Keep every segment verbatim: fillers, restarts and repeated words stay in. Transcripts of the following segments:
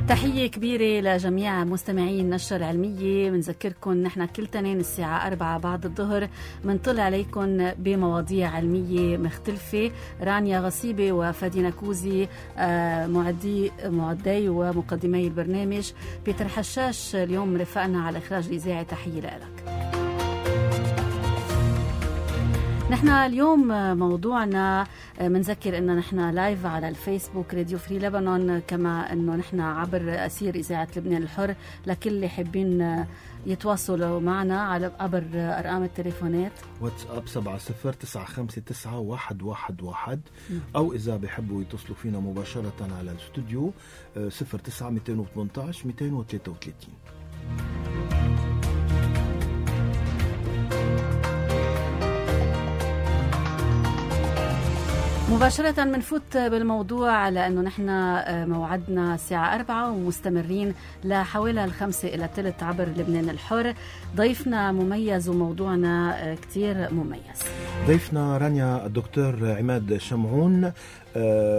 تحية كبيرة لجميع مستمعين النشرة العلمية. بنذكركم نحن كل تنين الساعة أربعة بعد الظهر منطلع عليكم بمواضيع علمية مختلفة. رانيا غصيبة وفادي نكوزي معدي معدي ومقدمي البرنامج. بيتر حشاش اليوم رفقنا على إخراج الإذاعة. تحية لك. نحن اليوم موضوعنا منذكر انه نحن لايف على الفيسبوك راديو فري لبنان، كما انه نحن عبر أسير إذاعة لبنان الحر. لكل اللي حابين يتواصلوا معنا على عبر أرقام التليفونات واتساب سبعة صفر تسعة خمسة تسعة واحد واحد واحد، أو إذا بيحبوا يتصلوا فينا مباشرة على الاستوديو صفر تسعة مئتين وثمانية عشر مئتين وثلاثة وثلاثين. مباشرة منفوت بالموضوع، لأنه نحن موعدنا الساعة أربعة ومستمرين لحوالي الخمسة إلى ثلث عبر لبنان الحر. ضيفنا مميز وموضوعنا كتير مميز. ضيفنا رانيا الدكتور عماد شمعون،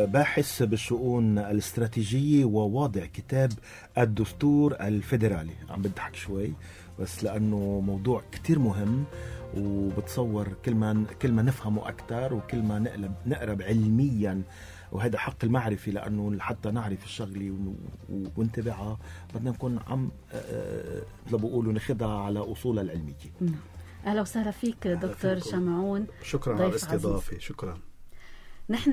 باحث بالشؤون الاستراتيجية وواضع كتاب الدستور الفيدرالي. عم بضحك شوي بس لأنه موضوع كتير مهم، وبتصور كل ما كل ما نفهمه أكتر وكل ما نقلب نقرب علميا، وهذا حق المعرفة، لأنه حتى نعرف الشغلة ونتبعها بدنا نكون عم لو بقولوا ناخدها على أصولها العلمية. أهلا وسهلا فيك دكتور شمعون. شكرا على الاستضافة. شكرا. نحن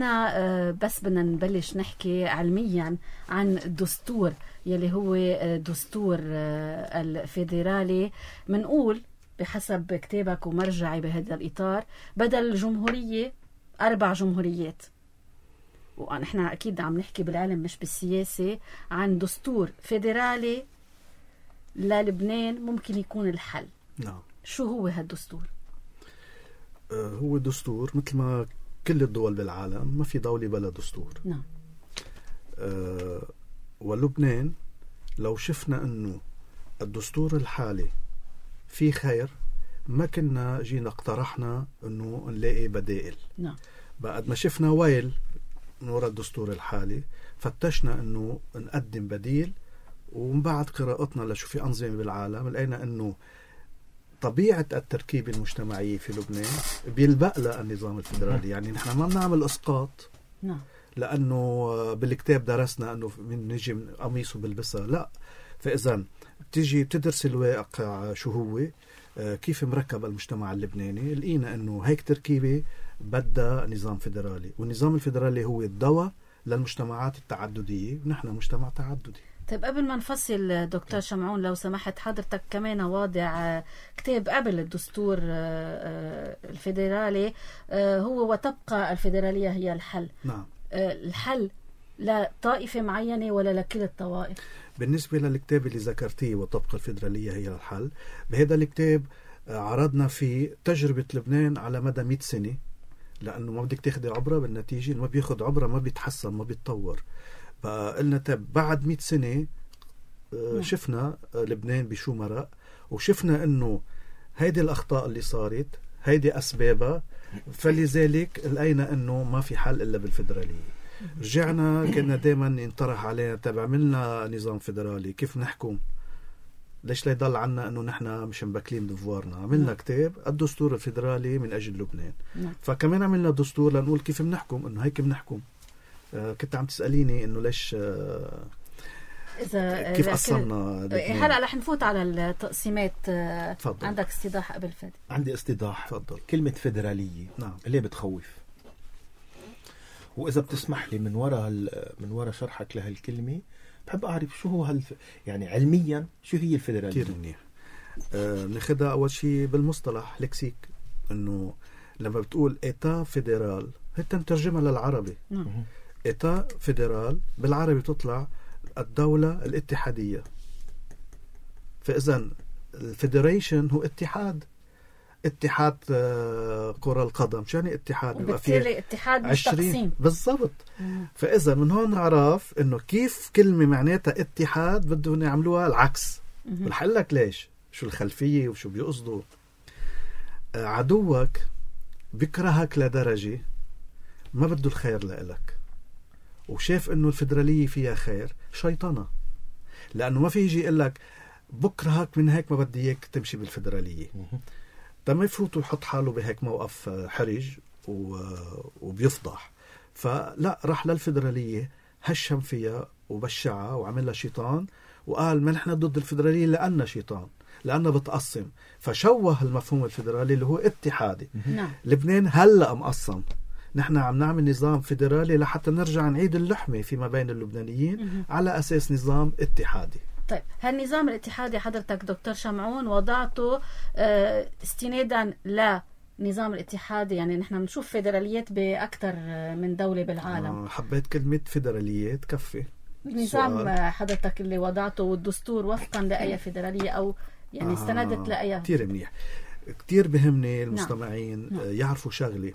بس بدنا نبلش نحكي علميا عن الدستور يلي هو دستور الفيدرالي. منقول بحسب كتابك ومرجعي بهذا الإطار بدل جمهورية أربع جمهوريات، ونحن أكيد عم نحكي بالعلم مش بالسياسة عن دستور فيدرالي للبنان ممكن يكون الحل. نعم. شو هو هالدستور؟ آه هو دستور مثل ما كل الدول بالعالم، ما في دولة بلا دستور. نعم. آه ولبنان لو شفنا أنه الدستور الحالي في خير ما كنا جينا اقترحنا أنه نلاقي بدائل. نعم. بعد ما شفنا ويل من وراء الدستور الحالي فتشنا أنه نقدم بديل، ومن بعد قراءتنا لشو في أنظمة بالعالم لقينا أنه طبيعة التركيبة المجتمعية في لبنان بيلبق لها النظام الفيدرالي. يعني نحن ما بنعمل إسقاط. نعم. لأنه بالكتاب درسنا أنه من نجي من قميص وبلبسها، لا. فإذا بتيجي بتدرس الواقع شو هو، كيف مركب المجتمع اللبناني، لقينا أنه هيك تركيبة بدها نظام فيدرالي، والنظام الفيدرالي هو الدواء للمجتمعات التعددية، ونحن مجتمع تعددي. طيب قبل ما نفصل دكتور شمعون، لو سمحت، حضرتك كمان واضع كتاب قبل الدستور الفيدرالي هو وتبقى الفيدرالية هي الحل. نعم. الحل لطائفة معينة ولا لكل الطوائف؟ بالنسبة للكتاب اللي ذكرتيه وتبقى الفيدرالية هي الحل، بهذا الكتاب عرضنا فيه تجربة لبنان على مدى مئة سنة، لأنه ما بدك تاخدي عبرة بالنتيجة، ما بياخد عبرة ما بيتحسن ما بيتطور. فقلنا طب بعد مئة سنة شفنا لبنان بشو مرق، وشفنا أنه هيدي الأخطاء اللي صارت هيدي أسبابها، فلذلك لقينا أنه ما في حل إلا بالفيدرالية. رجعنا كنا دائما ينطرح علينا طب عملنا نظام فيدرالي كيف نحكم، ليش لا يضل عنا أنه نحن مش مبكلين دفوارنا. عملنا م. كتاب الدستور الفيدرالي من أجل لبنان. م. فكمان عملنا دستور لنقول كيف بنحكم، أنه هيك بنحكم. آه كنت عم تسأليني أنه ليش آه إذا كيف قصرنا. هلأ رح نفوت على التقسيمات. فضل. عندك استيضاح قبل فادي؟ عندي استيضاح. فضل. كلمة فيدرالية نعم. اللي بتخوف، وإذا بتسمح لي من وراء من وراء شرحك لهالكلمة بحب أعرف شو هو هالف... يعني علميا شو هي الفيدرالية. كتير منيح. آه ناخدها أول شيء بالمصطلح لكسيك، إنه لما بتقول إيتا فيدرال هي مترجمة للعربي. نعم. إيتا فيدرال بالعربي تطلع الدولة الاتحادية. فإذا الفيدريشن هو اتحاد، اتحاد كرة القدم. شو يعني اتحاد؟ وبالتالي اتحاد مش تقسيم. بالضبط. فإذا من هون نعرف إنه كيف كلمة معناتها اتحاد بدهم يعملوها العكس. بنحل لك ليش، شو الخلفية وشو بيقصدوا. عدوك بكرهك لدرجة ما بده الخير لإلك، وشاف إنه الفيدرالية فيها خير، شيطنة. لأنه ما في يجي يقول لك بكرة هيك من هيك ما بدي إياك تمشي بالفيدرالية. تم يفوت ويحط حاله بهيك موقف حرج وبيفضح. فلا، راح للفيدرالية هشم فيها وبشعها وعملها شيطان، وقال ما نحن ضد الفيدرالية لأنها شيطان، لأنها بتقسم. فشوه المفهوم الفيدرالي اللي هو اتحادي. نعم. لبنان هلأ مقسم، نحن عم نعمل نظام فيدرالي لحتى نرجع نعيد اللحمة فيما بين اللبنانيين على أساس نظام اتحادي. طيب، هالنظام الاتحادي حضرتك دكتور شمعون وضعته اه استنادا لنظام الاتحادي، يعني نحن بنشوف فيدراليات بأكثر من دولة بالعالم. آه حبيت كلمة فيدرالية تكفي. نظام حضرتك اللي وضعته والدستور وفقا لأي فيدرالية أو يعني آه استندت لأي؟ كتير منيح. كتير بهمني المستمعين نعم. يعرفوا شغلة،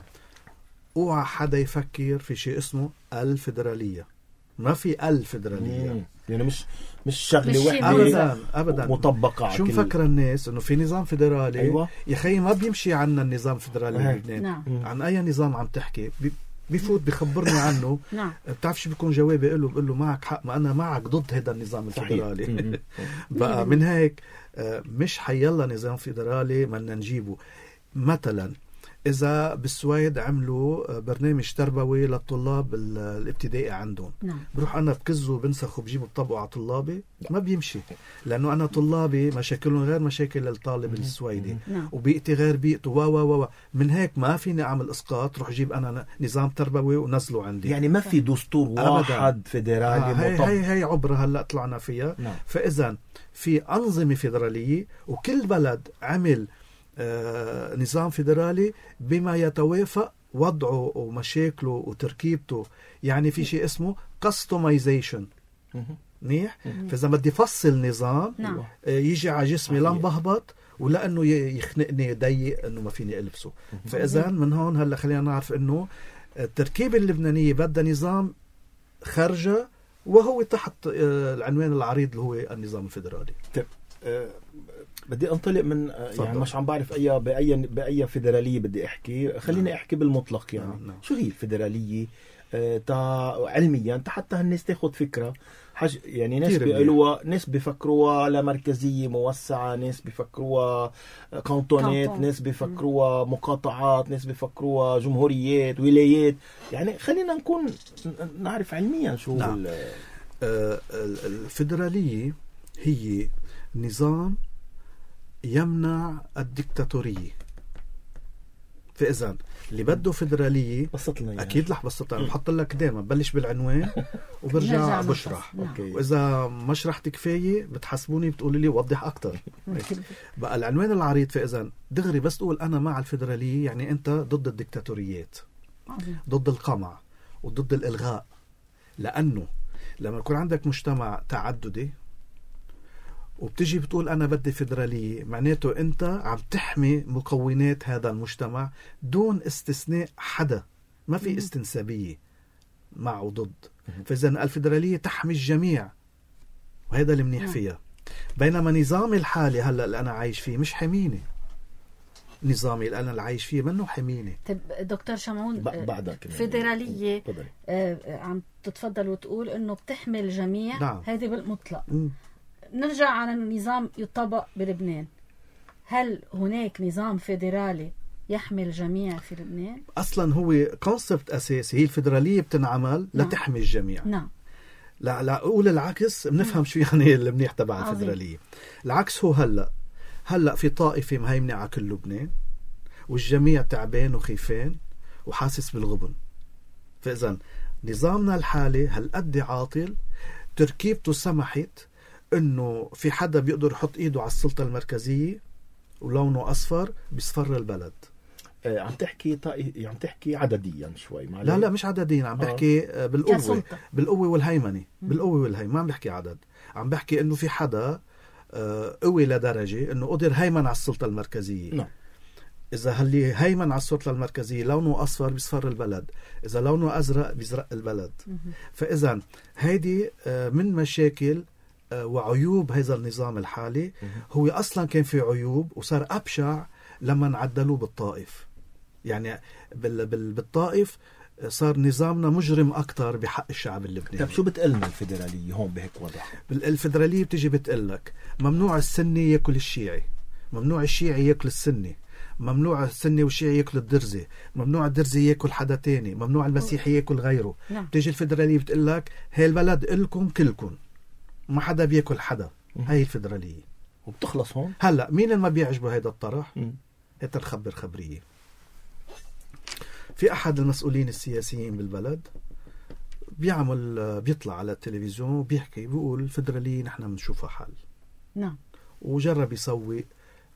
اوعى حدا يفكر في شيء اسمه الفيدرالية. ما في الفيدرالية، يعني مش مش شغله واحده ابدا ابدا مطبقه. شو مفكر الناس انه في نظام فيدرالي؟ أيوة. يا خيي ما بيمشي عنا النظام الفيدرالي بلبنان. نعم. عن اي نظام عم تحكي؟ بيفوت بخبرني عنه. نعم. بتعرف شو بيكون جوابي له؟ بقول له معك حق، ما انا معك ضد هذا النظام الفيدرالي. بقى من هيك مش حيلا نظام فيدرالي بدنا نجيبه. مثلا إذا بالسويد عملوا برنامج تربوي للطلاب الابتدائي عندهم، نعم. بروح أنا بكزه وبنسخه وبجيبه بطبقه على طلابي، ما بيمشي، لأنه أنا طلابي مشاكلهم غير مشاكل الطالب السويدي، نعم. وبيئتي غير بيئته و و و من هيك ما فيني أعمل إسقاط روح جيب أنا نظام تربوي ونزله عندي. يعني ما في دستور واحد فيدرالي آه هي, هي هي عبرة هلأ طلعنا فيها. نعم. فإذا في أنظمة فيدرالية وكل بلد عمل آه نظام فيدرالي بما يتوافق وضعه ومشاكله وتركيبته. يعني في شيء اسمه customization. منيح. فإذا بدي فصل نظام نعم. آه يجي على جسمي لنبهبط ولأنه يخنقني ضيق انه ما فيني ألبسه. فإذا من هون هلا خلينا نعرف انه التركيبة اللبنانية بدها نظام خارجة وهو تحت آه العنوان العريض اللي هو النظام الفيدرالي. طيب آه بدي انطلق من صدق. يعني مش عم بعرف اي باي باي فيدراليه بدي احكي. خليني احكي بالمطلق. يعني نعم. نعم. شو هي الفيدراليه آه تا علميا تا حتى الناس تاخذ فكره حج... يعني ناس بيقولوها، ناس بيفكروها على مركزيه موسعه، ناس بيفكروها كانتونات، كانتون. ناس بيفكروها مقاطعات، ناس بيفكروها جمهوريات ولايات. يعني خلينا نكون نعرف علميا شو. نعم. آه الفيدراليه هي نظام يمنع الدكتاتورية. فإذا اللي بده فيدرالية يعني. أكيد رح بسطها. بحط لك دائما بلش بالعنوان وبرجع بشرح. وإذا ما شرحت كفاية بتحسبوني بتقولي لي وضح أكتر. بقى العنوان العريض. فإذا دغري بس تقول أنا مع الفيدرالية يعني أنت ضد الدكتاتوريات، ضد القمع وضد الإلغاء. لأنه لما يكون عندك مجتمع تعددي وبتجي بتقول أنا بدي فيدرالية، معناته أنت عم تحمي مكونات هذا المجتمع دون استثناء حدا. ما في استنسابية مع وضد. فإذا الفيدرالية تحمي الجميع وهذا اللي منيح فيها. بينما نظامي الحالي هلأ اللي أنا عايش فيه مش حميني. نظامي اللي أنا اللي عايش فيه منه حميني. طيب دكتور شمعون، بعدك فيدرالية آه عم تتفضل وتقول إنه بتحمي الجميع. نعم. هذه بالمطلق. م. نرجع على النظام يطبق بلبنان. هل هناك نظام فيدرالي يحمي الجميع في لبنان؟ أصلا هو كونسبت أساسي. هي الفيدرالية بتنعمل نعم. لتحمي الجميع. نعم. لا لا أقول العكس بنفهم شو يعني المنيح تبع الفيدرالية. العكس هو هلأ هلأ في طائفة مهيمنة على كل لبنان والجميع تعبان وخيفان وحاسس بالغبن. فإذا نظامنا الحالي هالقد عاطل، تركيبته سمحت انه في حدا بيقدر يحط ايده على السلطة المركزية ولونه اصفر بيصفر البلد. آه عم تحكي طائي... عم تحكي عدديا شوي. لا لا مش عدديا، عم بحكي آه. بالقوة بالقوة والهيمنة. بالقوة والهيمنة ما عم بحكي عدد. عم بحكي انه في حدا آه قوي لدرجة انه قدر هيمن على السلطة المركزية. نعم. اذا هاللي هيمن على السلطة المركزية لونه اصفر بيصفر البلد، اذا لونه ازرق بيزرق البلد. فاذا هيدي آه من مشاكل وعيوب هذا النظام الحالي. هو أصلا كان في عيوب وصار أبشع لما عدلوه بالطائف. يعني بالطائف صار نظامنا مجرم أكتر بحق الشعب اللبناني. طب شو بتقلنا الفيدرالية هون بهيك وضع؟ الفيدرالية بتجي بتقلك ممنوع السني يأكل الشيعي، ممنوع الشيعي يأكل السني، ممنوع السني والشيعي يأكل الدرزي، ممنوع الدرزي يأكل حدا تاني، ممنوع المسيحي يأكل غيره. نعم. بتجي الفيدرالية بتقلك هاي البلد إلكم كلكم، ما حدا بيأكل حدا. هاي الفيدرالية وبتخلص هون. هلأ مين اللي ما بيعجبه هيدا الطرح؟ مم. هيدا الخبر خبرية. في أحد المسؤولين السياسيين بالبلد بيعمل بيطلع على التلفزيون وبيحكي بيقول الفيدرالية نحن بنشوفها حل. نعم. وجرب يسوي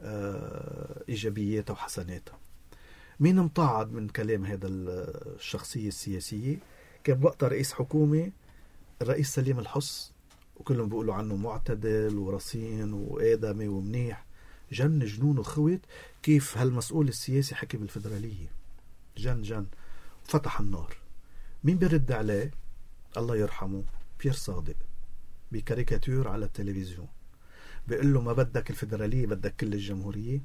آه إيجابياتها وحسناتها. مين مطاعد من كلام هذا الشخصية السياسية؟ كان وقتها رئيس حكومة الرئيس سليم الحص، وكلهم بيقولوا عنه معتدل ورصين وآدمي ومنيح. جن جنون وخوت كيف هالمسؤول السياسي حكي بالفيدرالية. جن جن فتح النار. مين بيرد عليه؟ الله يرحمه بيير صادق بكاريكاتير على التلفزيون بيقول له ما بدك الفيدرالية بدك كل الجمهورية.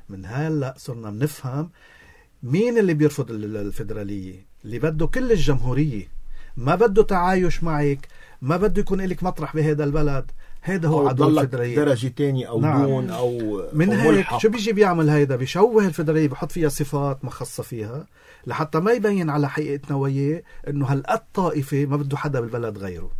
من هلا صرنا بنفهم مين اللي بيرفض الفيدرالية. اللي بده كل الجمهورية، ما بده تعايش معك، ما بده يكون لك مطرح بهذا البلد. هذا هو عدو الفيدرالية. درجة تاني أو نعم. دون أو من أو هيك ملحق. شو بيجي بيعمل هيدا؟ بيشوه الفيدرالية، بحط فيها صفات مخصصة فيها لحتى ما يبين على حقيقة نواياه إنه هالقد طائفة ما بده حدا بالبلد غيره.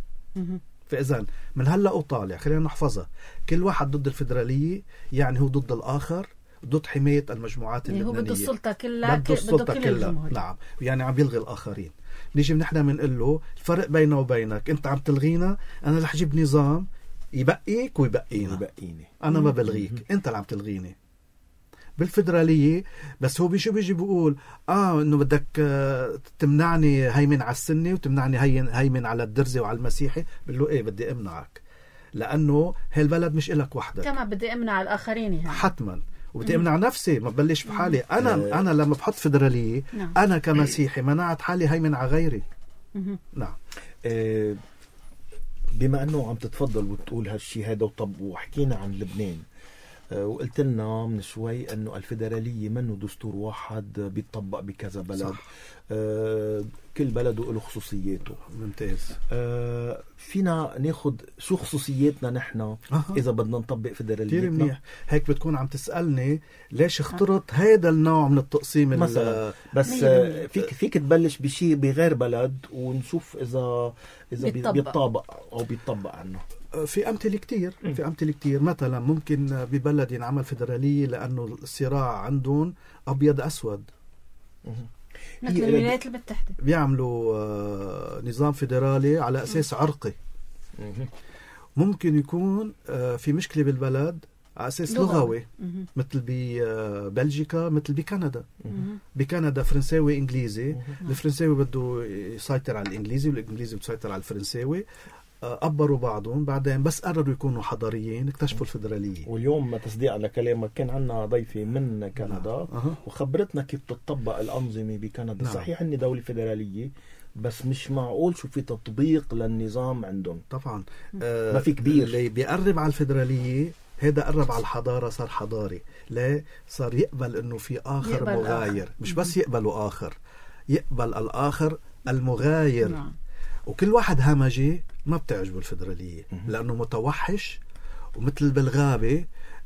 فإذا من هلا وطالع خلينا نحفظها، كل واحد ضد الفيدرالية يعني هو ضد الآخر، ضد حماية المجموعات اللبنانية. هو بده السلطة كلها، بده السلطة كل كلها. الجمهورية. نعم، يعني عم يلغي الآخرين. نيجي نحن بنقول له الفرق بيننا وبينك أنت عم تلغينا، أنا رح أجيب نظام يبقيك ويبقينا. يبقيني أنا ما بلغيك، أنت اللي عم تلغيني. بالفيدرالية بس هو بيجي بيجي بيقول آه إنه بدك تمنعني هيمن على السني وتمنعني هيمن على الدرزي وعلى المسيحي. بقول له إيه بدي أمنعك لأنه هالبلد مش إلك وحدك، كمان بدي أمنع الآخرين يعني. حتما. وبدي أمنع نفسي، ما ببلش بحالي أنا. مم. أنا لما بحط فيدرالية نعم. أنا كمسيحي منعت حالي هيمن على غيري. مم. نعم. آه بما أنه عم تتفضل وتقول هالشي هذا وطب وحكينا عن لبنان، أه وقلت لنا من شوي أنه الفيدرالية منه دستور واحد بيتطبق بكذا بلد. أه كل بلد له خصوصياته. ممتاز. أه فينا ناخد شو خصوصياتنا نحن أه. إذا بدنا نطبق فيدراليتنا؟ كتير منيح. هيك بتكون عم تسألني ليش اخترت هذا النوع من التقسيم مثلا. بس أه فيك فيك تبلش بشيء بغير بلد ونشوف إذا إذا بيطبق, بيطبق أو بيطبق عنه. في أمثلة كتير. في أمثلة كتير. مثلا ممكن ببلد ينعمل فيدرالية لأنه الصراع عندهم أبيض أسود، مثل الولايات المتحدة بيعملوا نظام فيدرالي على أساس عرقي. ممكن يكون في مشكلة بالبلد على أساس لغوي، مثل ببلجيكا مثل بكندا. بكندا فرنساوي إنجليزي، الفرنساوي بده يسيطر على الإنجليزي والإنجليزي بده يسيطر على الفرنساوي. أبروا بعضهم، بعدين بس قرروا يكونوا حضاريين اكتشفوا الفيدرالية. واليوم تصديق على كلامك كان عنا ضيفة من كندا أه. وخبرتنا كيف تطبق الأنظمة بكندا. نعم. صحيح أني دولة فيدرالية بس مش معقول شو في تطبيق للنظام عندهم. طبعا آه ما في كبير. اللي بيقرب على الفيدرالية هذا قرب على الحضارة، صار حضاري. لا صار يقبل انه في آخر مغاير آخر. مش بس يقبلوا آخر، يقبل الآخر المغاير. نعم. وكل واحد همجي ما بتعجبه الفيدرالية لأنه متوحش ومثل بالغابة.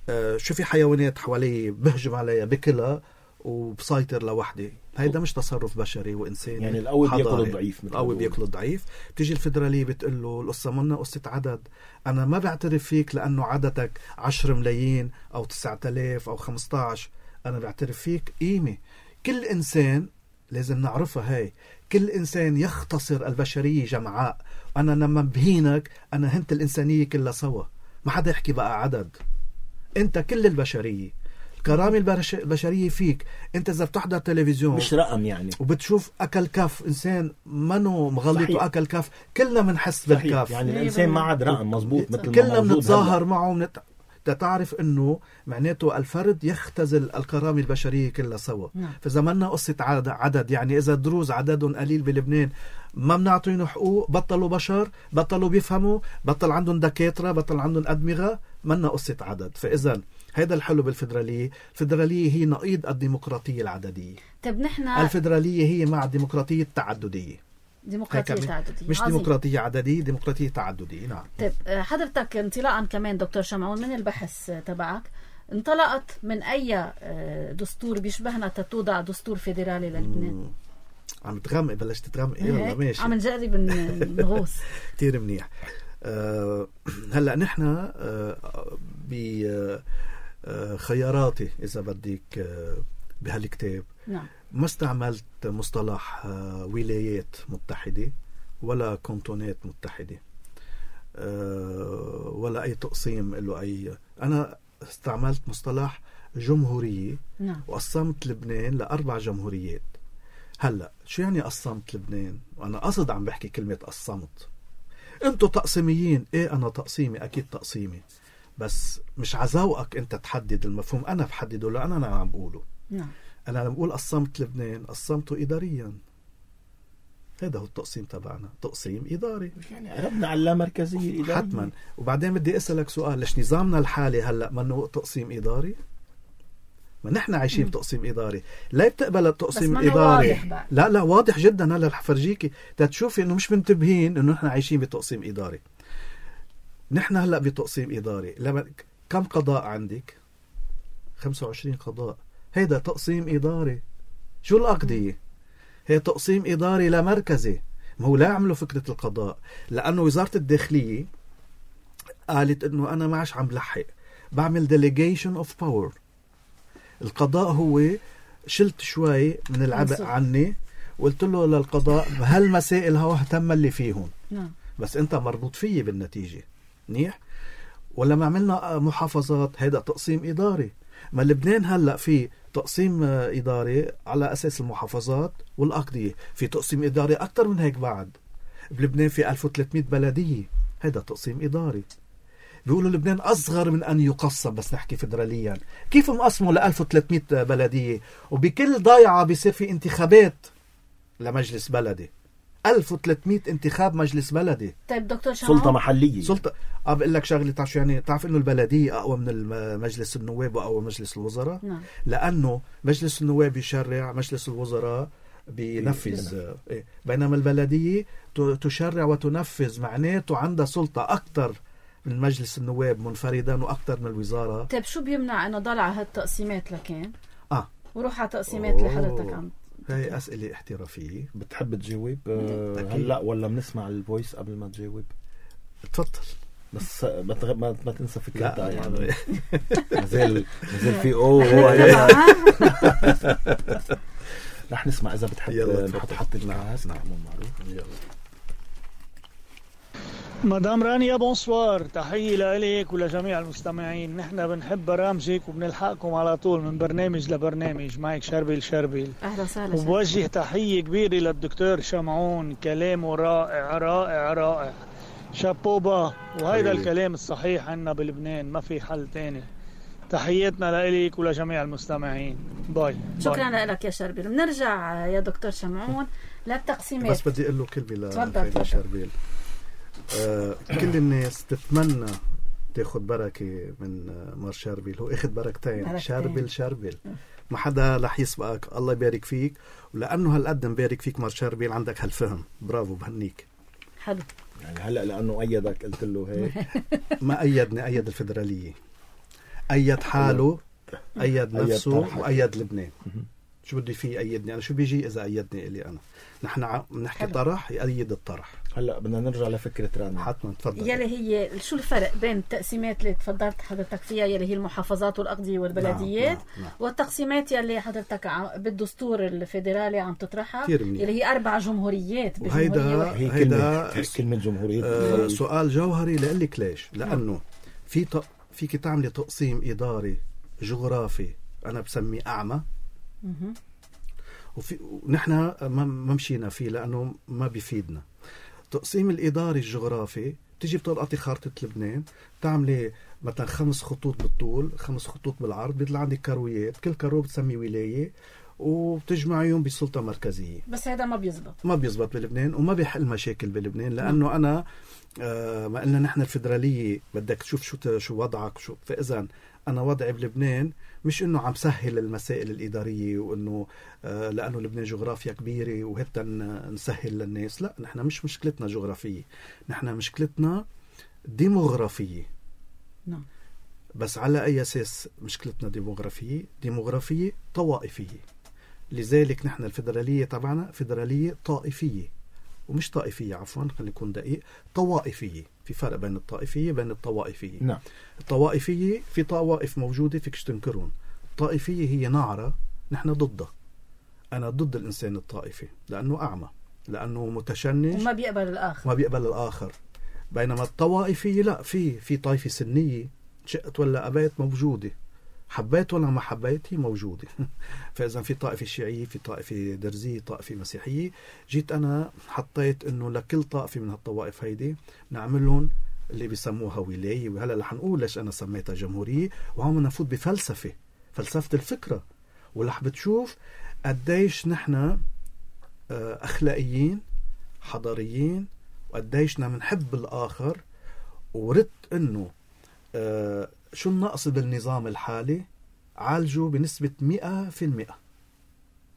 آه شو في حيوانات حواليه بهجم عليها بكلها وبسيطر لوحدي. هيدا مش تصرف بشري وإنساني. يعني القوي بياكل الضعيف. القوي بياكل الضعيف. بتيجي الفيدرالية بتقول له القصة منا قصة عدد. أنا ما بعترف فيك لأنه عددك عشر ملايين أو تسعة آلاف أو خمسة عشر. أنا بعترف فيك قيمة. كل إنسان لازم نعرفها هاي. كل إنسان يختصر البشرية جمعاء. أنا لما بهينك أنا هنت الإنسانية كلها سوا. ما حدا يحكي بقى عدد. أنت كل البشرية. الكرامة البشرية فيك. أنت إذا بتحضر تلفزيون مش رقم يعني وبتشوف أكل كف إنسان منو مغلط وأكل كف، كلنا منحس بالكف. يعني الإنسان ما عاد رقم مظبوط مثل كلنا بنتظاهر معه منت... تعرف انه معناته الفرد يختزل الكرامة البشرية كلها سوا. نعم. فإذا منا قصة عدد، يعني إذا دروز عددهم قليل بلبنان ما بنعطيهم حقوق، بطلوا بشر، بطلوا بيفهموا، بطل عندهم دكاترة، بطل عندهم أدمغة، منا قصة عدد. فإذا هذا الحلو بالفيدرالية. الفيدرالية هي نقيض الديمقراطية العددية. طيب نحن الفيدرالية هي مع الديمقراطية التعددية. ديمقراطية تعددية مش عظيم. ديمقراطية عددية، ديمقراطية تعددية. نعم. طيب حضرتك انطلاقا كمان دكتور شمعون من البحث تبعك، انطلقت من أي دستور بيشبهنا تتوضع دستور فيدرالي للبنان؟ مم. عم تغمق، بلشت تغمق. يلا ماشي، عم نجرب نغوص. كتير منيح. أه هلأ نحن أه بخياراتي إذا بدك أه بهالكتاب نعم. ما استعملت مصطلح أه ولايات متحدة ولا كونتونات متحدة أه ولا أي تقسيم له أي. أنا استعملت مصطلح جمهورية. نعم. وقسمت لبنان لأربع جمهوريات. هلأ شو يعني قسمت لبنان؟ وأنا قصد عم بحكي كلمة قسمت. انتوا تقسيميين. ايه انا تقسيمي، اكيد تقسيمي، بس مش عزوقك انت تحدد المفهوم، انا بحدده لأن انا عم بقوله. نعم. انا لما بقول قسمت لبنان قسمته اداريا. هذا هو التقسيم تبعنا، تقسيم اداري. يعني قربنا على اللامركزية الإدارية حتما. وبعدين بدي اسألك سؤال، ليش نظامنا الحالي هلأ منه تقسيم اداري؟ ما نحن عايشين بتقسيم إداري. لا بتقبل التقسيم الإداري؟ لا لا واضح جدا. هلا رح فرجيكي تتشوفي انه مش منتبهين انه نحن عايشين بتقسيم إداري. نحن هلا بتقسيم إداري. لما كم قضاء عندك؟ خمسة وعشرين قضاء. هيدا تقسيم إداري. شو الأقضية؟ هي تقسيم إداري لا مركزي. ما هو لا عملوا فكرة القضاء، لأنه وزارة الداخلية قالت انه انا ما عادش عم بلحق، بعمل delegation of power. القضاء هو شلت شوي من العبء عني وقلت له للقضاء هالمسائل هو اهتم اللي فيهم. نعم. بس انت مربوط فيه بالنتيجة. منيح. ولما عملنا محافظات هيدا تقسيم إداري. ما لبنان هلأ في تقسيم إداري على أساس المحافظات والأقضية. في تقسيم إداري أكتر من هيك بعد. بلبنان في ألف وثلاثمئة بلدية. هيدا تقسيم إداري. بيقولوا لبنان أصغر من أن يقسم، بس نحكي فدراليا. كيف مقسموا ل ألف وثلاثمئة بلدية وبكل ضيعة بيصير في انتخابات لمجلس بلدي؟ ألف وثلاثمئة انتخاب مجلس بلدي. طيب دكتور شمعون، سلطة محلية. سلطة. أه بقول لك شغلة، تعرف يعني تعرف إنه البلدية أقوى من مجلس النواب وأقوى من مجلس الوزراء. نعم. لأنه مجلس النواب يشرع، مجلس الوزراء بينفذ. إيه. بينما البلدية تشرع وتنفذ، معناته عندها سلطة أكتر من مجلس النواب منفردا وأكثر من الوزارة. طيب شو بيمنع انه ضل على هالتقسيمات لكان؟ اه وروح على التقسيمات اللي حضرتك عم. هاي أسئلة احترافية. بتحب تجاوب أه هلا ولا بنسمع الفويس قبل ما تجاوب؟ تفضل. بس ما تغ... ما, ما تنسى فكرتها يعني. مازال مازال في اوه رح نسمع اذا بتحب نحط حط الكاس. نعم معروف. يلا. مدام رانيا بونسوار، تحية لإلك ولجميع المستمعين. نحن بنحب برامجك وبنلحقكم على طول من برنامج لبرنامج. معك شربيل شربيل. أهلا وسهلا. وبوجه تحية كبيرة للدكتور شمعون، كلامه رائع رائع رائع، شابوبا. وهيدا الكلام الصحيح عنا بلبنان، ما في حل تاني. تحياتنا لإلك ولجميع المستمعين. باي. شكرا لك يا شربيل. بنرجع يا دكتور شمعون للتقسيمات. بس بدي أقول له كلمة لشربيل. آه كل الناس تتمنى تاخد بركة من مار شربيل. هو اخد بركتين، شربل شربل. ما حدا رح يسبقك. الله يبارك فيك. ولأنه هالقد مبارك فيك مار شربيل عندك هالفهم. برافو، بهنيك. حلو. يعني هلأ لأنه أيدك قلت له هيك. ما أيدني، أيد الفدرالية، أيد حاله، أيد نفسه، وأيد لبنان. شو بدي فيه أيدني أنا؟ شو بيجي إذا أيدني إلي أنا؟ نحن نحكي طرح يأيد الطرح. هلا بدنا نرجع لفكرة رانيا. حتما تفضل. يلي هي شو الفرق بين التقسيمات اللي تفضلت حضرتك فيها يلي هي المحافظات والأقضية والبلديات، نعم نعم نعم. والتقسيمات يلي حضرتك بالدستور الفيدرالي عم تطرحها يلي هي أربع جمهوريات بجمهورية. هي كلمة كلمة جمهورية. آه سؤال جوهري لقلك ليش؟ لأنه في ت... فيك تعملي تقسيم إداري جغرافي أنا بسميه أعمى. مه. وفي نحن ما مشينا فيه لأنه ما بيفيدنا. تقسيم الإداري الجغرافي تيجي بتلقطي خارطة لبنان، تعملي مثلا خمس خطوط بالطول، خمس خطوط بالعرض، بيطلع عندك كرويات، كل كرو بتسمي ولاية وبتجمعيهم بسلطة مركزية. بس هذا ما بيزبط ما بيزبط بلبنان وما بيحل مشاكل بلبنان. لأنه م. أنا آه ما قلنا نحن الفدرالية بدك تشوف شو شو وضعك. شو فإذا أنا وضعي بلبنان مش إنه عم سهل المسائل الإدارية وإنه آه لأنه لبنان جغرافيا كبيرة وهتا نسهل للناس. لا، نحن مش مشكلتنا جغرافية، نحن مشكلتنا ديموغرافية. نعم. بس على أي أساس مشكلتنا ديموغرافية؟ ديموغرافية طوائفية. لذلك نحن الفيدرالية تبعنا فيدرالية طائفية، ومش طائفية، عفوا خلينا نكون دقيق، طوائفية. في فرق بين الطائفية وبين الطوائفية. نعم. الطوائفية في طوائف موجودة فيكش تنكرون. الطائفية هي نعرة نحن ضدها. أنا ضد الإنسان الطائفي لأنه أعمى، لأنه متشنج وما بيقبل الآخر، ما بيقبل الآخر. بينما الطوائفية لا، في في طائفة سنية شئت ولا أبيت موجودة، حبيت ولا ما حبيت هي موجودة. فإذا في طائفة شيعية، في طائفة درزية، طائفة مسيحية. جيت أنا حطيت إنه لكل طائفة من هالطوائف هيدي نعملهم اللي بيسموها ولاية. وهلا رح نقول ليش أنا سميتها جمهورية، وهم نفوت بفلسفة، فلسفة الفكرة، ورح بتشوف قديش نحن أخلاقيين حضاريين، وقديشنا منحب الآخر. وردت إنه آه شو النقص بالنظام الحالي عالجوا بنسبة مئة في المئة.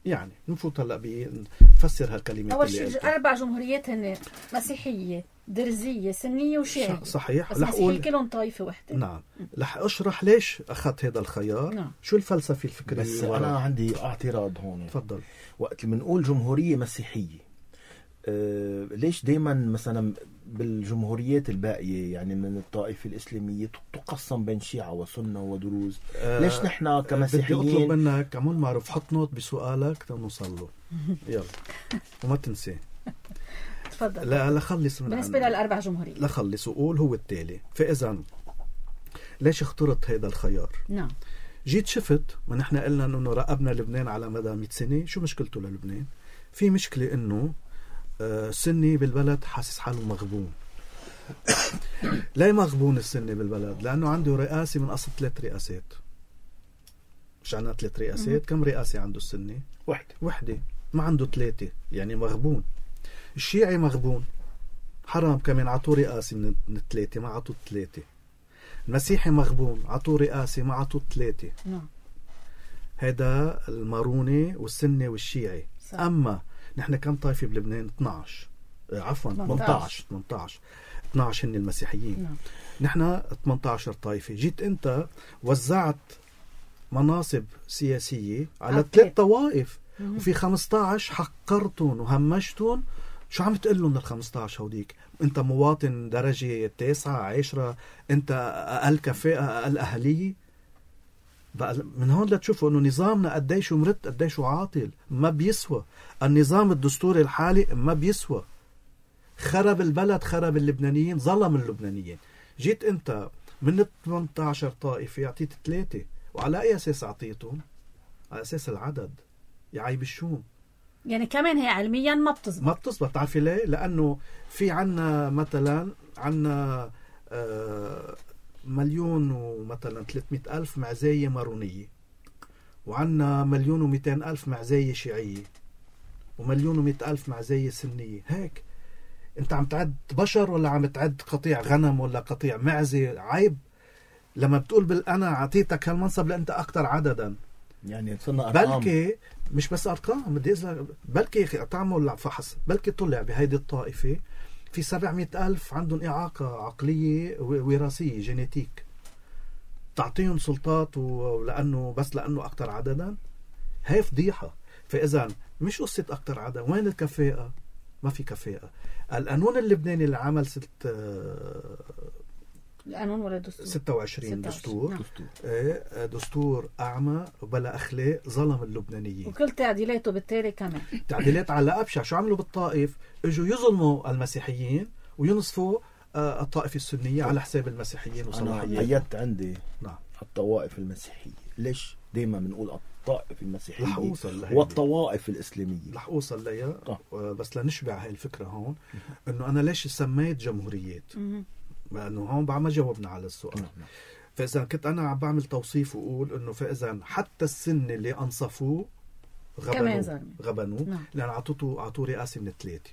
يعني نفوت هلأ بنفسر هالكلمات. أول شيء أربع جمهوريات هن مسيحية، درزية، سنية وشيعية. صحيح. بس مسيحية كلهم طائفة وحدة. نعم. رح أشرح ليش أخذت هذا الخيار. نعم. شو الفلسفة الفكرية. بس أنا عندي اعتراض هون. تفضل. وقت اللي بنقول جمهورية مسيحية، أه ليش دايما مثلا بالجمهوريات الباقية يعني من الطائفة الإسلامية تقسم بين شيعة وسنة ودروز؟ أه ليش نحن كمسيحيين؟ بدي أطلب منك عمول معروف حط نوت بسؤالك تنوصل له. يلا وما تنسي. تفضل. لا لا خلص من بالنسبة للأربع جمهوريات. لا خلص وقول هو التالي. فإذا ليش اخترت هذا الخيار؟ نعم. جيت شفت ما نحن قلنا إنه راقبنا لبنان على مدى مئة سنة. شو مشكلته للبنان؟ في مشكلة إنه آه سني بالبلد حاسس حاله مغبون. لا مغبون السني بالبلد لأنه عنده رئاسة من أصل ثلاث رئاسات. مش عنا ثلاث رئاسات؟ كم رئاسة عنده السني؟ واحدة. وحدة. ما عنده ثلاثة، يعني مغبون. الشيعي مغبون، حرام كمان عطوه رئاسة من الثلاثة ما عطوه ثلاثة. المسيحي مغبون، عطوه رئاسة ما عطوه ثلاثة. نعم. هذا الماروني والسني والشيعي. صح. أما نحن كم طائفة بلبنان؟ اثني عشر عفوا ثمانية عشر ثمانية عشر اثني عشر هن المسيحيين. نعم. نحن ثمانية عشر طائفة. جيت انت وزعت مناصب سياسية على ثلاث طوائف وفي خمسة عشر حقرتهم وهمشتهم. شو عم تقلهم لل خمسة عشر هوديك؟ انت مواطن درجة تاسعة عشرة، انت اقل كفاءة اقل اهلية. بقى من هون لتشوفوا انه نظامنا قديش مرت قديش عاطل، ما بيسوى. النظام الدستوري الحالي ما بيسوى. خرب البلد، خرب اللبنانيين، ظلم اللبنانيين. جيت انت من ثمانية عشر طائفة اعطيت ثلاثة، وعلى اي اساس اعطيتهم؟ على اساس العدد. يا عيب الشوم. يعني كمان هي علميا ما بتزبط. ما بتزبط. تعرفي ليه؟ لانه في عنا مثلا عنا آه مليون ومثلا ثلاثمئة ألف معزاية مارونية، وعنا مليون ومئتين ألف معزاية شيعية، ومليون ومئة ألف معزاية سنية. هيك انت عم تعد بشر ولا عم تعد قطيع غنم ولا قطيع معزة؟ عيب لما بتقول بال انا عطيتك هالمنصب لانت اكثر عددا. يعني صرنا ارقام. بلكي مش بس ارقام، بدي اذا بلكي تعمل فحص، بلكي طلع بهيدي الطائفة في سبعمئة ألف عندهم إعاقة عقلية وراثية جينيتيك. تعطيهم سلطات ولأنه بس لأنه أكتر عددا؟ هاي فضيحة. فإذا مش قصة أكتر عدد. وين الكفاءة؟ ما في كفاءة. القانون اللبناني اللي عمل ست القانون ولا دستور؟ ستة وعشرين دستور. نعم. دستور. ايه دستور أعمى وبلا أخلاق، ظلم اللبنانيين. وكل تعديلاته بالتالي كمان تعديلات على أبشع. شو عملوا بالطائف؟ اجوا يظلموا المسيحيين وينصفوا الطائفة السنية على حساب المسيحيين وصلاحيين. أنا أيدت عندي نعم. الطوائف المسيحية. ليش دايما بنقول الطائف المسيحية والطوائف الإسلامية؟ رح أوصل لها. بس لنشبع هاي الفكرة هون إنه أنا ليش سميت جمهوريات؟ لأنه هون بعد ما جاوبنا على السؤال. نعم. فإذا كنت أنا عم بعمل توصيف وأقول إنه فإذا حتى السن اللي أنصفوه غبنوا غبنوا نعم. لأن عطوه عطوه رئاسة من الثلاثة.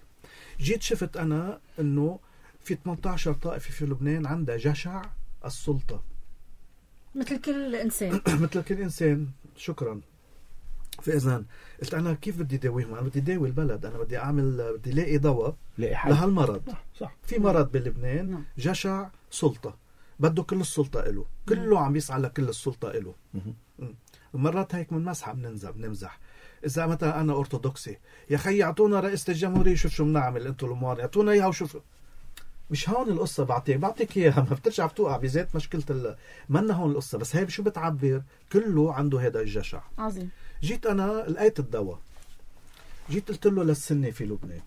جيت شفت أنا إنه في ثمانية عشر طائفة في لبنان عندها جشع السلطة. مثل كل إنسان. مثل كل إنسان. شكرا. فإذا قلت أنا كيف بدي داويهم؟ أنا بدي داوي البلد، أنا بدي أعمل، بدي لاقي دواء لهالمرض. صح. صح. في مرض بلبنان جشع سلطة، بده كل السلطة إله، كله عم يسعى لكل السلطة إله. مرات هيك من مسحة بننزح بنمزح. إذا مثلا أنا أرثوذكسي، يا خي أعطونا رئيسة الجمهورية شوف شو بنعمل أنتوا الأموار، أعطونا إياها وشوف. مش هون القصة. بعطيك بعطيك إياها، ما بترجع بتوقع بذات مشكلة ال... منا هون القصة. بس هاي شو بتعبر؟ كله عنده هذا الجشع. عظيم. جيت أنا لقيت الدواء، جيت قلت له للسنة في لبنان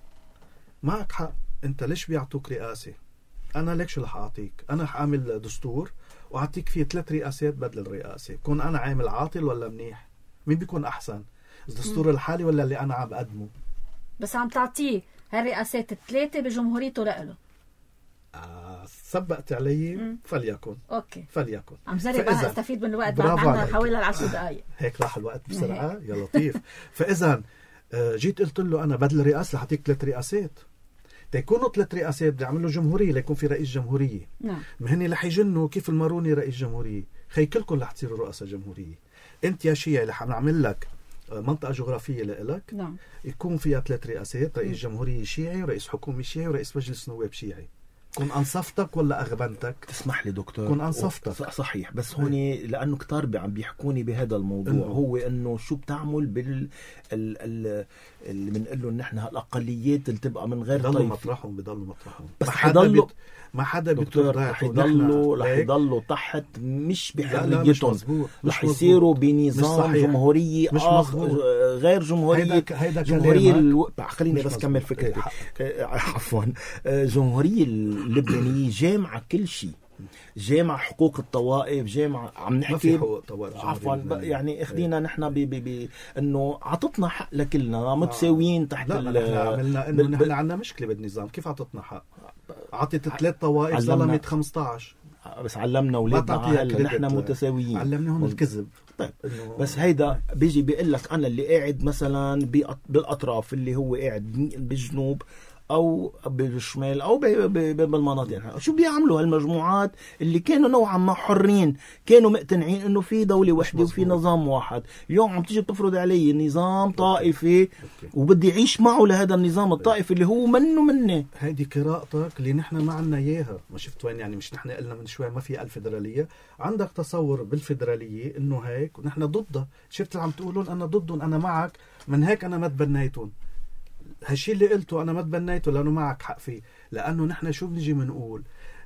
معك حق، أنت ليش بيعطوك رئاسة؟ أنا ليك شو رح أعطيك؟ أنا رح أعمل دستور وأعطيك فيه ثلاث رئاسات بدل الرئاسة. كون أنا عامل عاطل ولا منيح؟ مين بيكون أحسن؟ الدستور الحالي ولا اللي أنا عم بقدمه؟ بس عم تعطيه هالرئاسات الثلاثة بجمهوريته لإله. آه سبقت علي. مم. فليكن. أوكي. فليكن. عم جرب أنا استفيد من الوقت، بعد عنا حوالي العشر دقايق. هيك راح الوقت بسرعة. يا لطيف. فإذا جيت قلت له أنا بدل الرئاسة حتيك ثلاث رئاسات. تيكونوا ثلاث رئاسات بدي أعمل له جمهورية ليكون في رئيس جمهورية. نعم. مهني رح يجنوا كيف الماروني رئيس جمهورية. خي كلكم رح تصيروا رؤساء جمهورية. أنت يا شيعي رح نعمل لك منطقة جغرافية لإلك. نعم. يكون فيها ثلاث رئاسات، رئيس جمهورية شيعي ورئيس حكومة شيعي ورئيس مجلس نواب شيعي. كون أنصفتك ولا أغبنتك؟ تسمح لي دكتور، كون أنصفتك. صحيح. بس هوني لأنه كتار عم بيحكوني بهذا الموضوع إنه. هو إنه شو بتعمل بال ال ال اللي بنقله إن إحنا هالأقليات اللي تبقى من غير بضلوا طيف. مطرحهم بضلوا مطرحهم. بس حيضلوا ما حدا دكتور رح يضلوا رح يضلوا تحت مش بحريتهم، رح يصيروا بنظام جمهورية مش آخر غير جمهورية. هيدا جمهورية الو... خليني بس كمل فكرتي. عفوا. جمهورية اللبنانية جامعة كل شيء، جامعة حقوق الطوائف، جامعة عم نحكي عفوا يعني اخدينا نحن ب ب انه عطتنا حق لكلنا متساويين تحت. لا ال... نحن عملنا انه ب... نحن عندنا مشكلة بالنظام. كيف عطتنا حق؟ عطت ثلاث طوائف ظلمت خمسة عشر. بس علمنا اولادنا هلا نحن متساويين. علمناهم الكذب. طيب بس هيدا بيجي بيقول لك انا اللي قاعد مثلا بالاطراف، اللي هو قاعد بالجنوب او بالشمال او بالمناطق، شو بيعملوا هالمجموعات اللي كانوا نوعا ما حرين، كانوا مقتنعين انه في دولة واحدة وفي نظام واحد. اليوم عم تيجي بتفرض علي نظام طائفي وبدي اعيش معه لهذا النظام الطائفي اللي هو منه مني. هيدي قراءتك اللي نحن ما عنا اياها. ما شفت وين يعني؟ مش نحن قلنا من شوي ما في الفدرالية؟ عندك تصور بالفدرالية انه هيك ونحن ضدها. شفت اللي عم تقولون انا ضدهم، انا معك، من هيك انا ما تبنيتهم. هالشي اللي قلته أنا ما تبنيته لأنه معك حق فيه. لأنه نحن شو بنجي منقول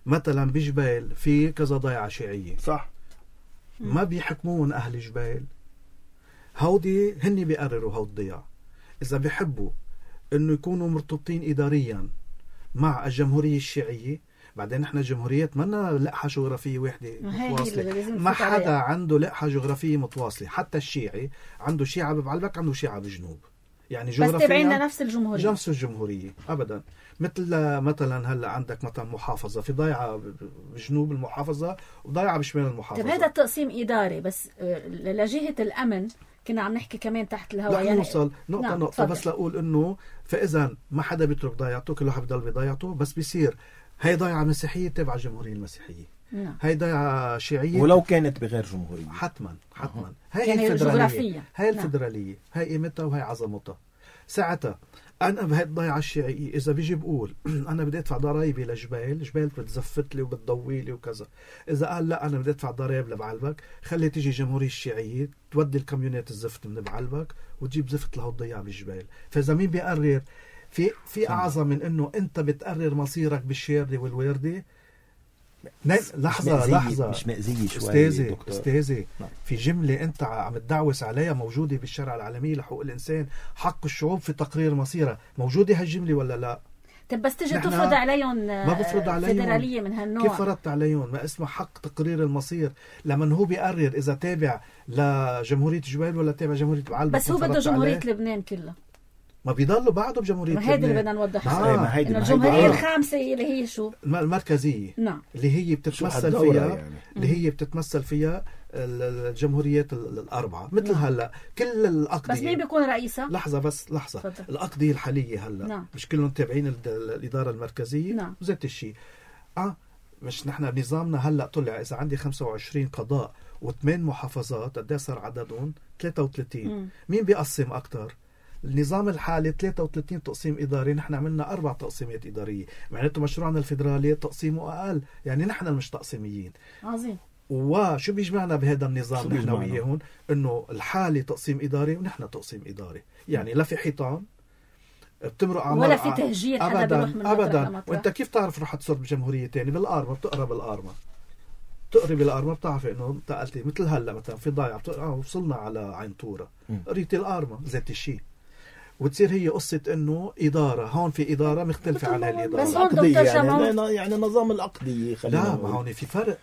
مثلا بجبال في كذا ضيعة شيعية، صح؟ ما بيحكمون أهل جبال، هودي هني بيقرروا هود الضياع. إذا بيحبوا إنه يكونوا مرتبطين إداريا مع الجمهورية الشيعية، بعدين نحن جمهوريات منا لقحة جغرافية واحدة متواصلة. ما حدا عنده لقحة جغرافية متواصلة. حتى الشيعي عنده شيعة ببعلبك، عنده شيعة بجنوب، يعني بس تبعين لنفس الجمهورية، نفس الجمهورية أبدا. مثل مثلا هلا عندك مثلا محافظة، في ضيعة بجنوب المحافظة وضيعة بشمال المحافظة. طيب هذا التقسيم إداري، بس لجهة الأمن كنا عم نحكي كمان تحت الهواء. يعني نوصل نقطة نعم. نقطة فضل. بس لأقول إنه فإذا ما حدا بيترك ضيعته، كل واحد بضل بضيعته، بس بيصير هاي ضيعة مسيحية تبع الجمهورية المسيحية، نعم. هاي ضيعة شيعية ولو كانت بغير جمهورية حتما حتما أه. هاي يعني الفدرالية، هاي الفدرالية، هاي قيمتها وهي عظمتها. ساعتها أنا بهاي الضيعة الشيعية إذا بيجي بقول أنا بدي أدفع ضرائبي لجبال، جبال بتزفت لي وبتضوي لي وكذا. إذا قال لا أنا بدي أدفع ضرائب لبعلبك، خلي تيجي الجمهورية الشيعية تودي الكاميونات الزفت من بعلبك وتجيب زفت لهو الضيعة بالجبال. فإذا مين بيقرر؟ في في أعظم من إنه أنت بتقرر مصيرك بالشيردي والويردي. لحظة مش لحظة مش مأزية شوي استاذي استاذي في جملة أنت عم تدعوس عليها موجودة بالشرع العالمي لحقوق الإنسان، حق الشعوب في تقرير مصيرها، موجودة هالجملة ولا لا؟ طب بس تجي تفرض عليهم ما بفرض عليهم فدرالية من هالنوع. كيف فرضت عليهم؟ ما اسمه حق تقرير المصير، لما هو بيقرر إذا تابع لجمهورية جبال ولا تابع جمهورية بعلبك. بس هو بده جمهورية لبنان كلها، ما بيضلوا بعده بجمهورية لبنان. هذا اللي بدنا نوضحه. آه. آه. إنه الجمهورية الخامسة اللي هي شو؟ المركزية. نعم. اللي هي بتتمثل فيها يعني. اللي هي بتتمثل فيها الجمهوريات الأربعة مثل نعم. هلا كل الأقضية. بس مين بيكون رئيسها؟ لحظة بس لحظة. فضل. الأقضية الحالية هلا نعم. مش كلهم تابعين الإدارة المركزية. نعم. وزيت الشيء. آه مش نحن نظامنا هلا طلع اذا عندي خمسة وعشرين قضاء وثمان محافظات قد صار عددهم ثلاثة وثلاثين. مم. مين بيقسم اكثر؟ النظام الحالي ثلاثة وثلاثين تقسيم اداري، نحن عملنا اربع تقسيمات اداريه، معناته مشروعنا الفيدرالي تقسيمه اقل، يعني نحن المش تقسيميين. عظيم. وشو بيجمعنا بهذا النظام نحن بيجمعنا؟ وياهم؟ انه الحالي تقسيم اداري ونحن تقسيم اداري، يعني لا في حيطان بتمرق عمار ولا في تهجير حدا ابدا بيروح من مطرح ابدا. لمطرح. وانت كيف تعرف رح تصير بجمهوريه ثانيه؟ بالارما بتقرا بالارما بتقري بالارما بتعرفي انه انتقلتي مثل هلا مثلا في ضايع بتقرا آه وصلنا على عين طوره قريتي الارما ذات الشيء، وتصير هي قصه انه اداره هون في اداره مختلفه عن هالاداره. بس هون العقدية دكتور يعني, شمعون- يعني نظام العقدية خلينا لا نقول. ما هون في فرق.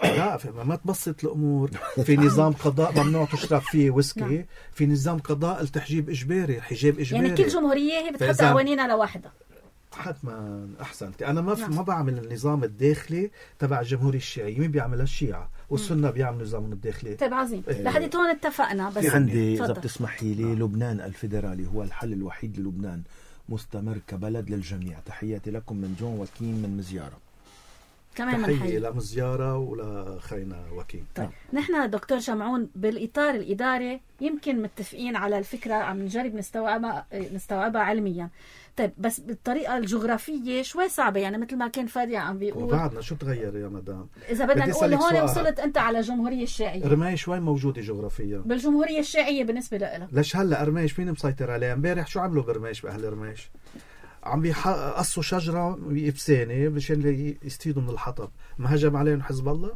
لا في ما تبسط الامور. في نظام قضاء ممنوع تشرب فيه ويسكي، نعم. في نظام قضاء التحجيب اجباري، الحجاب اجباري. يعني كل جمهورية هي بتحط فإذا- قوانينها لوحدها. حتما احسنت. انا ما نعم. ما بعمل النظام الداخلي تبع الجمهوريه الشيعيه، مين بيعملها؟ الشيعه، والسنه بيعملوا نظامهم الداخلي. طيب عظيم. إيه. لحد هون اتفقنا. بس في عندي إذا تفضل. بتسمحي لي، لبنان الفيدرالي هو الحل الوحيد للبنان، مستمر كبلد للجميع. تحياتي لكم من جون وكيم من مزيارة. كمان تحيه منحيي. الى مزياره ولا خينا وكيم. طيب نحن دكتور شمعون بالإطار الإداري يمكن متفقين على الفكرة، عم نجرب نستوعبها نستوعبها علميا. طيب بس بالطريقة الجغرافية شوي صعبة، يعني مثل ما كان فادي عم بيقول. وبعدنا شو تغير يا مدام؟ إذا بدنا بدي نقول أسألك هون سؤال. وصلت أنت على الجمهورية الشيعية. رماي شوي موجوده جغرافيا. بالجمهورية الشيعية بالنسبة لها ليش هلا رميش مين مسيطر عليها؟ امبارح شو عملوا برميش باهل رميش؟ عم بيقصوا شجره بإفسانة مشان يستفيدوا من الحطب. ما هجم عليهم حزب الله؟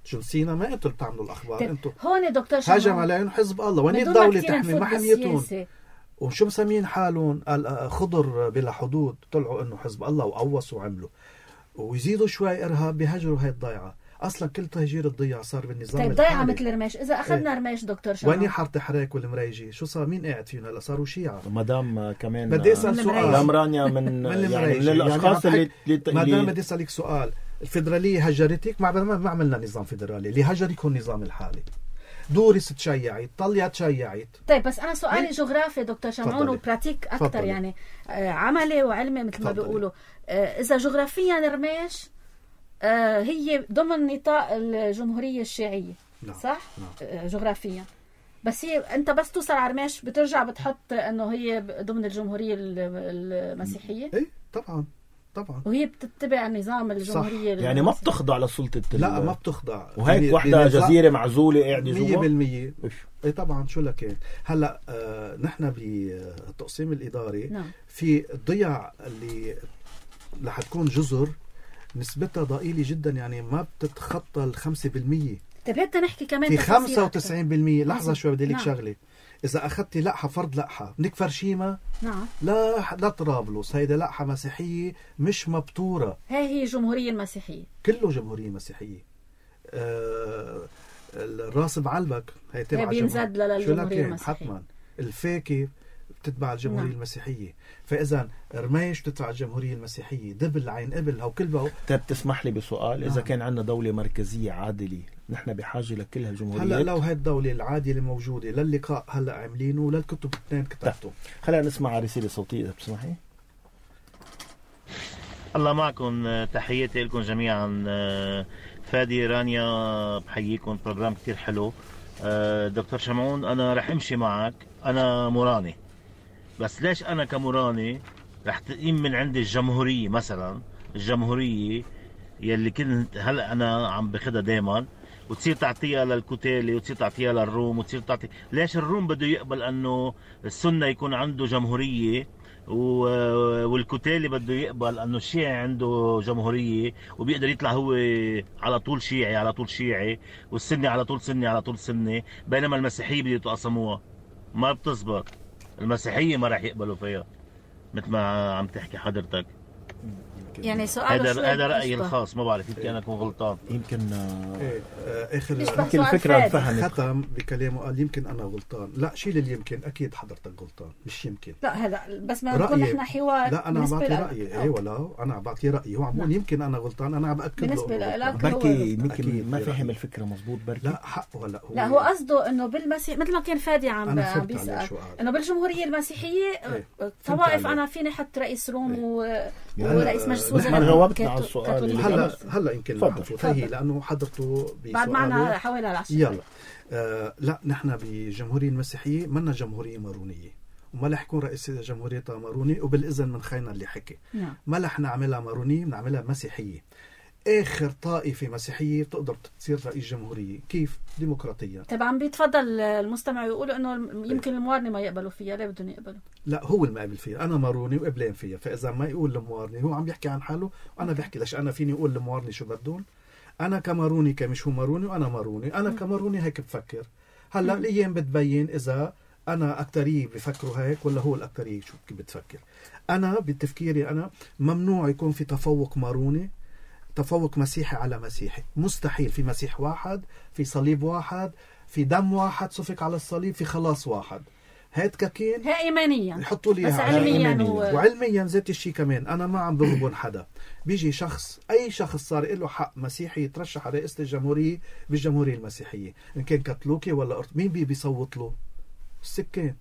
شو نسينا؟ ما انتم بتعملوا الاخبار. طيب انتم هون دكتور شمعون هجم عليهم حزب الله، وين بدون ما الدوله كتير تحمي نفوت ما حميتهم. بالسياسة. وشو مسمين حالهم؟ خضر بلا حدود، طلعوا انه حزب الله وقوصوا وعملوا، ويزيدوا شوي ارهاب بيهجروا هاي الضيعه. اصلا كل تهجير الضيعه صار بالنظام طيب ضيعة الحالي. مثل رميش، إذا أخذنا إيه. رميش دكتور شمعون وين حاره حراك والمريجي؟ شو صار؟ مين قاعد فيهم هلا؟ صاروا شيعه. مدام كمان بدي اسال من سؤال. المريجي. مدام رانيا من, من يعني من المريجي. الاشخاص يعني اللي, اللي, ما دام اللي بدي اسالك سؤال، الفيدراليه هجرتك؟ ما ما عملنا نظام فيدرالي، اللي هجرك هو النظام الحالي. دورس تشيعت، طليا تشيعت. طيب بس أنا سؤالي إيه؟ جغرافي دكتور شمعون تفضلي. وبراتيك أكتر. تفضلي. يعني آه عملي وعلمي مثل ما تفضلي. بيقولوا. آه إذا جغرافيا رميش آه هي ضمن نطاق الجمهورية الشيعية. نعم. صح؟ نعم. آه جغرافيا. بس هي أنت بس توصل على رميش بترجع بتحط إنه هي ضمن الجمهورية المسيحية. ايه طبعا طبعا. وهي بتتبع نظام الجمهورية يعني ما بتخضع لسلطة ال- لا ما بتخضع. وهيك بن- وحدة بنظام- جزيرة معزولة قاعدة مية جوا. بالمية. إيش؟ ايه طبعا. شو لكن هلا آه نحن بالتقسيم الاداري نعم. في الضيع اللي رح تكون جزر نسبتها ضئيلة جدا، يعني ما بتتخطى الخمسة بالمية. طيب هات نحكي كمان في تفاصيل خمسة أكتر. وتسعين بالمية. لحظة عظيم. شوي بدي لك نعم. شغلة. إذا أخذتي لقحة فرد لقحة نكفر شيما، نعم. لا لا طرابلس، هيدا لقحة مسيحية مش مبتورة، هاي هي الجمهورية المسيحية. كله جمهورية مسيحية. آه الراس بعلبك هي تبع هي بينزد جمهور- شو للجمهورية لكن؟ المسيحية. حتما. الفاكي بتتبع الجمهورية نعم. المسيحية، فإذا رميش بتتبع الجمهورية المسيحية، دبل عين قبل هو كل بقى. طيب تسمح لي بسؤال، إذا نعم. كان عندنا دولة مركزية عادلة نحن بحاجة لكل هالجمهوريات. هلا لو هاي الدولة العادلة موجودة للقاء هلا عاملينه وللكتب اثنين كتبتهم. خلينا نسمع رسالة صوتية إذا بتسمحي. الله معكم، تحياتي لكم جميعا. فادي رانيا بحييكم، بروجرام كتير حلو. دكتور شمعون أنا رح أمشي معك، أنا مراني، بس ليش أنا كمراني رح تقيم من عندي الجمهورية مثلا، الجمهورية يلي كنت هلأ أنا عم بخدها دايما، وتصير تعطيها للكتالي وتصير تعطيها للروم وتصير تعطي. ليش الروم بده يقبل أنه السنة يكون عنده جمهورية والكتالي بده يقبل انه الشيعي عنده جمهوريه وبيقدر يطلع هو على طول شيعي على طول شيعي، والسني على طول سني على طول سني، بينما المسيحيه بده يتقاسموها؟ ما بتزبط. المسيحيه ما راح يقبلوا فيها مثل ما عم تحكي حضرتك. يعني سؤال هذا هذا رايي الخاص، ما بعرف يمكن انا اكون غلطان. يمكن ايه آه اخر يشبه يمكن سؤال الفكرة فادي. انفهمت. ختم بكلامه قال يمكن انا غلطان. لا شيل اليمكن، اكيد حضرتك غلطان، مش يمكن. لا هلا بس ما نكون رأيي. نحن حوار. لا انا عم بالنسبة بعطي لك- رايي. أو. ايه ولا انا عم بعطي رايي، هو عم بقول نعم. يمكن انا غلطان، انا عم باكد له بالنسبة إنه لك غلطان. هو بركي غلطان. يمكن أكيد ما برأيي. فهم الفكرة مزبوط. بركي لا حقه. هلا هو لا هو قصده انه بالمسيح مثل ما كان فادي عم أنا عم فهمت عليه بيسال شو قال. انه بالجمهوريه المسيحيه إيه، طوائف عليه. انا فيني احط رئيس روم إيه. و... يعني ورئيس مجلس نحن وزراء جاوبتنا على السؤال اللي هلا هلا يمكن تفضل. نحفظ هي لانه حضرته بعد معنا بسؤاله. حوالي العشرة. يلا آه لا نحن بالجمهورية المسيحية منا جمهورية مارونية، وما رح يكون رئيس جمهوريتها ماروني، وبالإذن من خينا اللي حكي نعم. ما رح نعملها مارونية، بنعملها مسيحية. آخر طائفة مسيحية تقدر تصير رئيس جمهورية. كيف؟ ديمقراطيا. طبعا بيتفضل المستمع يقولوا انه يمكن الموارنة ما يقبلوا فيها، ليه بدهم يقبلوا؟ لا هو المقابل فيها، انا ماروني وقبلين فيها، فاذا ما يقول الموارني هو عم بيحكي عن حاله وانا بحكي ليش انا فيني اقول الموارني شو بدون. انا كماروني كمش هو ماروني وانا ماروني، انا كماروني هيك بفكر. هلا الايام بتبين اذا انا اكتريه بفكروا هيك ولا هو الاكتريه شو بتفكر. انا بتفكيري انا ممنوع يكون في تفوق ماروني، تفوق مسيحي على مسيحي، مستحيل. في مسيح واحد، في صليب واحد، في دم واحد سفك على الصليب، في خلاص واحد. هيد كاكين هي ايمانيا يحطوا لي بس علميا هو... وعلميا ذات الشيء كمان. انا ما عم بغبن حدا. بيجي شخص، اي شخص صار له حق مسيحي يترشح على رئاسة الجمهورية بالجمهورية المسيحية، ان كان كاثوليكي ولا أرث... مين بي بيصوت له؟ السكان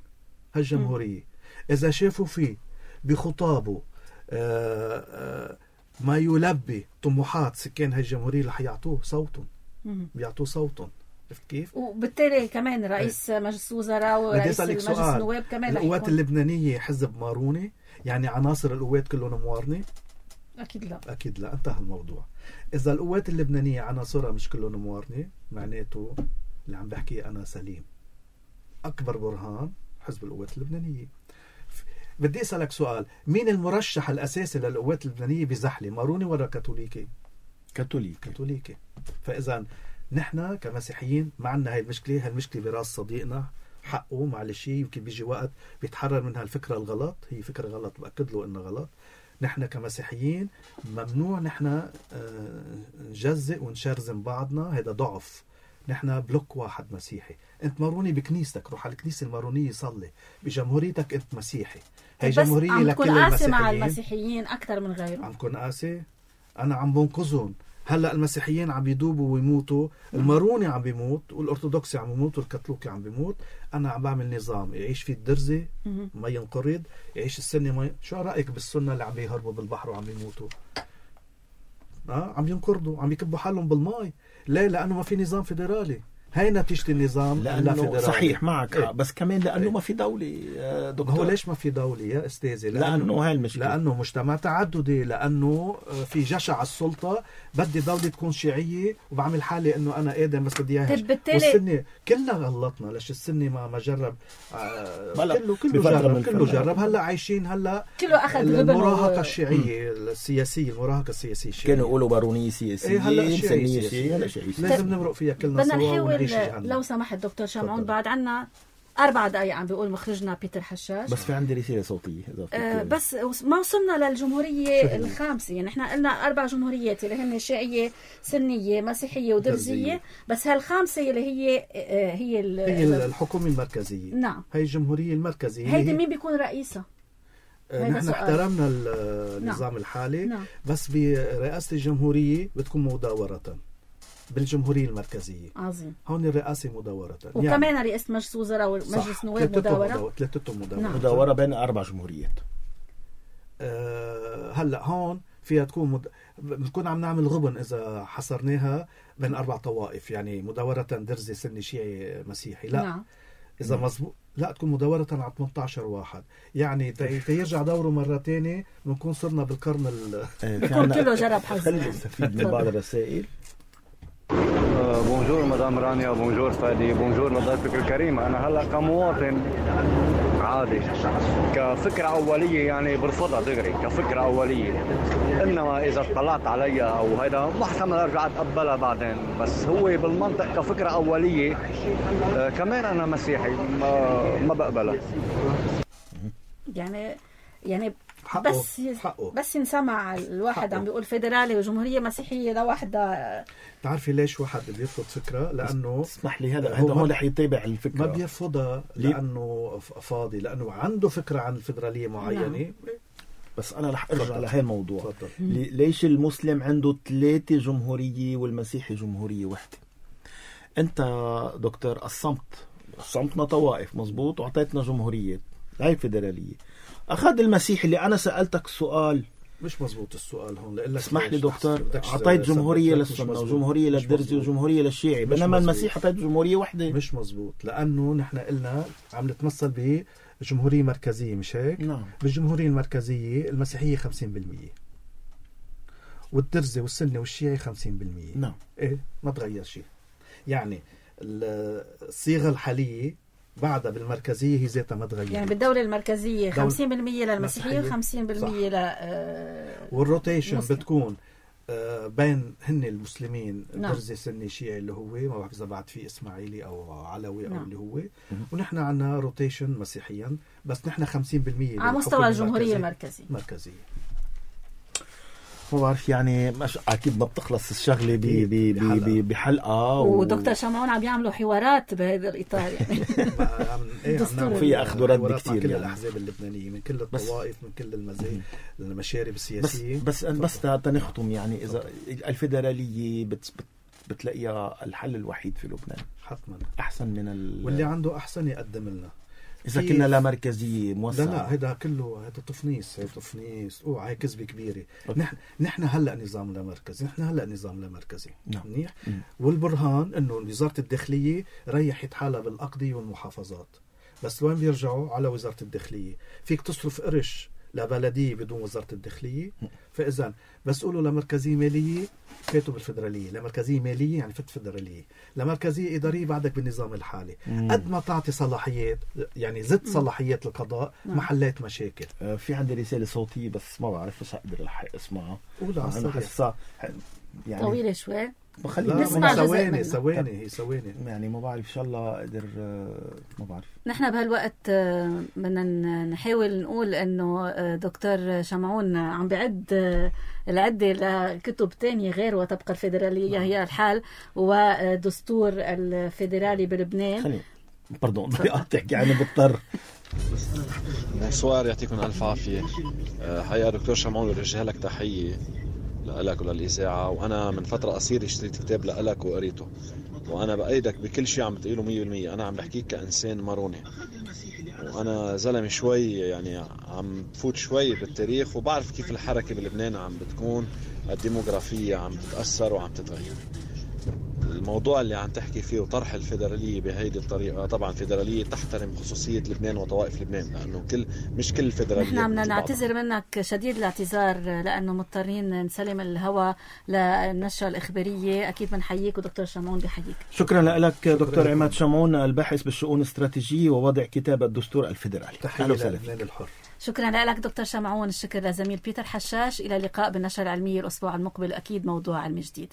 هالجمهورية. اذا شافوا فيه بخطابه آآ آآ ما يلبي طموحات سكان هالجمهورية رح يعطوه صوتهم، بيعطوه صوتهم. عرفت كيف؟ وبالتالي كمان رئيس مجلس وزراء ورئيس مجلس النواب كمان القوات اللبنانية حزب ماروني؟ يعني عناصر القوات كلهم موارنة؟ أكيد لا. أكيد لا، انتهى الموضوع. إذا القوات اللبنانية عناصرها مش كلهم موارنة، معناته اللي عم بحكيه أنا سليم. أكبر برهان حزب القوات اللبنانية. بدي أسألك سؤال، مين المرشح الأساسي للقوات اللبنانية بزحلة، ماروني ولا كاثوليكي؟ كاثوليكي. كاثوليكي. فإذا نحن كمسيحيين ما عندنا هاي المشكلة. هالمشكلة براس صديقنا، حقه معلش، يمكن بيجي وقت بيتحرر من هالفكرة الغلط. هي فكرة غلط، بأكد له إنها غلط. نحن كمسيحيين ممنوع نحن نجزئ ونشرزم بعضنا، هذا ضعف. نحن بلوك واحد مسيحي. انت ماروني بكنيستك، روح على الكنيسة المارونية صلي. بجمهوريتك انت مسيحي. هي جمهورية لكل المسيحيين. عم تكون قاسي مع المسيحيين أكثر من غيرهم. عم تكون قاسي. أنا عم بنقذهم. هلا المسيحيين عم يدوبوا ويموتوا، الماروني عم بيموت، والأرثوذكسي عم يموت، والكاثوليكي عم بيموت. أنا عم بعمل نظام يعيش فيه الدرزي ما ينقرض، يعيش السنة ما ي... شو رأيك بالسنة اللي عم يهربوا بالبحر وعم يموتوا؟ آه عم ينقرضوا، عم يكبوا حالهم بالماء. ليه؟ لأنه ما في نظام فيدرالي. هاي نتيجة النظام لأنه صحيح معك إيه؟ بس كمان لأنه إيه؟ ما في دولة دكتور. هو ليش ما في دولة يا أستاذي؟ لأنه, لأنه هاي المشكلة، لأنه مجتمع تعددي، لأنه في جشع السلطة. بدي دولة تكون شيعية وبعمل حالي إنه أنا آدم بس بدي إياها. والسنة كلنا غلطنا. ليش السنة ما ما جرب آه كله كله جرب كله جرب. هلا عايشين هلا كله أخذ المراهقة و... الشيعية السياسية، المراهقة السياسية الشيعية. كانوا يقولوا بارونية سياسية. إيه هلا شيعية سياسية. هلا شيعية. لازم نمرق فيها كلنا سوا ونعيش جهنم. لو سمحت دكتور شمعون، بعد عنا أربع دقايق عم بيقول مخرجنا بيتر حشاش. بس في عندي رسالة صوتية آه بس ما وصلنا للجمهورية الخامسة. يعني احنا قلنا أربع جمهوريات اللي هن شيعية، سنية، مسيحية ودرزية. بس هالخامسة اللي هي آه هي, هي الحكومة المركزية. نعم. هي الجمهورية المركزية. هيدي مين بيكون رئيسها؟ آه نحن احترمنا النظام نعم. الحالي نعم. بس برئاسة الجمهورية بتكون مداورة بالجمهورية المركزية. عظيم. هون الرئاسة مداورة. وكمان يعني رئاسة مجلس وزراء ومجلس نواب مداورة. ثلاثتهم مداورة. نعم. مداورة بين أربع جمهوريات. أه هلا هون فيها تكون مد... بنكون عم نعمل غبن إذا حصرناها بين أربع طوائف، يعني مداورة درزي سني شيعي مسيحي. لا. نعم. إذا مزبوط لا تكون مداورة على ثمانية عشر واحد. يعني تيرجع دوره مرة تانية بنكون صرنا بالقرن ال بكون كله جرب حظ. خلي نستفيد من بعض الرسائل. بونجور مدام رانيا، بونجور فادي، بونجور لضيفك الكريم. أنا هلا كمواطن عادي كفكرة أولية يعني برفضها دغري كفكرة أولية، إنما إذا اطلعت عليها أو هيدا بحتمل أرجع أتقبلها بعدين. بس هو بالمنطق كفكرة أولية آه كمان أنا مسيحي ما, ما بقبلها. يعني يعني حقه. بس حقه. بس ينسمع الواحد حقه. عم بيقول فيدرالي وجمهورية مسيحية لوحدها. تعرفي ليش واحد بيرفض فكرة؟ لأنه اسمح لي هذا هذا هو رح يتابع الفكرة. ما بيرفضها لأنه فاضي، لأنه عنده فكرة عن الفيدرالية معينة. نعم. بس أنا رح أرجع على هاي الموضوع. ليش المسلم عنده ثلاثة جمهورية والمسيحي جمهورية واحدة؟ أنت دكتور الصمت صمتنا طوائف مزبوط وعطيتنا جمهورية هاي فيدرالية. أخذ المسيحي اللي أنا سألتك السؤال مش مزبوط السؤال هون. لأ اسمح لي دكتور، أعطيت جمهورية للسنة وجمهورية للدرزي وجمهورية للشيعي، بينما المسيح أعطيت جمهورية واحدة. مش مزبوط، لأنه نحن قلنا عم نتمثل بجمهورية مركزية، مش هيك؟ نعم. بالجمهورية المركزية المسيحية خمسين بالمية والدرزي والسنة والشيعي خمسين بالمية. نعم. إيه ما تغير شيء. يعني الصيغة الحالية بعدها بالمركزية هي ذاتها ما تغير. يعني بالدولة المركزية خمسين بالمية للمسيحية وخمسين بالمية ل آه والروتيشن بتكون آه بين هن المسلمين. نعم. درزي سني شيعي اللي هو ما بعرف إذا بعد في إسماعيلي أو علوي. نعم. أو اللي هو. ونحن عنا روتيشن مسيحيا، بس نحن خمسين بالمية على مستوى الجمهورية المركزية. مركزية. ما بعرف يعني مش أكيد ما بتخلص الشغلة بحلقة. ودكتور شمعون عم يعملوا حوارات بهذا الإطار يعني. في أخذ ورد كتير كل يعني. الأحزاب اللبنانية من كل الطوائف من كل المزايا المشارب السياسية. بس بس بس تنختم يعني إذا الفيدرالية بت بتلاقيها الحل الوحيد في لبنان حتما أحسن من ال... واللي عنده أحسن يقدم لنا. إذا كنا لا مركزية موسعة. لا لا هذا كله هذا تفنيس هذا تفنيس أوه هاي كذبة كبيرة. نحن نحن هلا نظام لا مركزي، نحن هلا نظام لا مركزي. نعم. منيح. والبرهان إنه وزارة الداخلية ريحت حالها بالأقضية والمحافظات، بس وين بيرجعوا؟ على وزارة الداخلية. فيك تصرف قرش لبلدية بدون وزارة الداخلية. فإذا بس قولوا لمركزية مالية فاتوا بالفدرالية، لمركزية مالية يعني فت فدرالية، لمركزية إدارية بعدك بالنظام الحالي. قد ما تعطي صلاحيات يعني زد صلاحيات القضاء ما حليت مشاكل. آه في عندي رسالة صوتية بس ما بعرف إيش أقدر الحق اسمعها. قولها أنا حسها يعني طويلة شوي. نسمع ثواني ثواني هي ثواني يعني ما بعرف إن شاء الله أقدر. ما بعرف. نحن بهالوقت بدنا نحاول نقول إنه دكتور شمعون عم بعد العدة لكتب تانية غير وتبقى الفيدرالية هي الحال ودستور الفيدرالي بلبنان. خليني باردون بدي أقطعك يعني بضطر. بونسوار، يعطيكم ألف عافية. حقيقة دكتور شمعون بوجه لك تحية لك وللإذاعة، وأنا من فترة قصيرة اشتريت كتاب لك وقريته، وأنا بأيدك بكل شيء عم بتقوله مية بالمية. أنا عم بحكيك كإنسان ماروني، وأنا زلمة شوي يعني عم بفوت شوي بالتاريخ، وبعرف كيف الحركة بلبنان عم بتكون الديموغرافية عم تتأثر وعم تتغير. الموضوع اللي عم تحكي فيه وطرح الفيدرالية بهيدي الطريقة، طبعا فيدرالية تحترم خصوصية لبنان وطوائف لبنان، لأنه كل مش كل الفيدرالية. نحن بدنا نعتذر منك شديد الاعتذار لأنه مضطرين نسلم الهواء للنشرة الإخبارية. أكيد بنحييك ودكتور شمعون بحييك. شكرا لك دكتور عماد شمعون الباحث بالشؤون الاستراتيجية ووضع كتاب الدستور الفيدرالي. تحية للبنان الحر. شكرا لك دكتور شمعون. الشكر لزميل بيتر حشاش. إلى اللقاء بالنشرة العلمية الأسبوع المقبل، أكيد موضوع علمي جديد.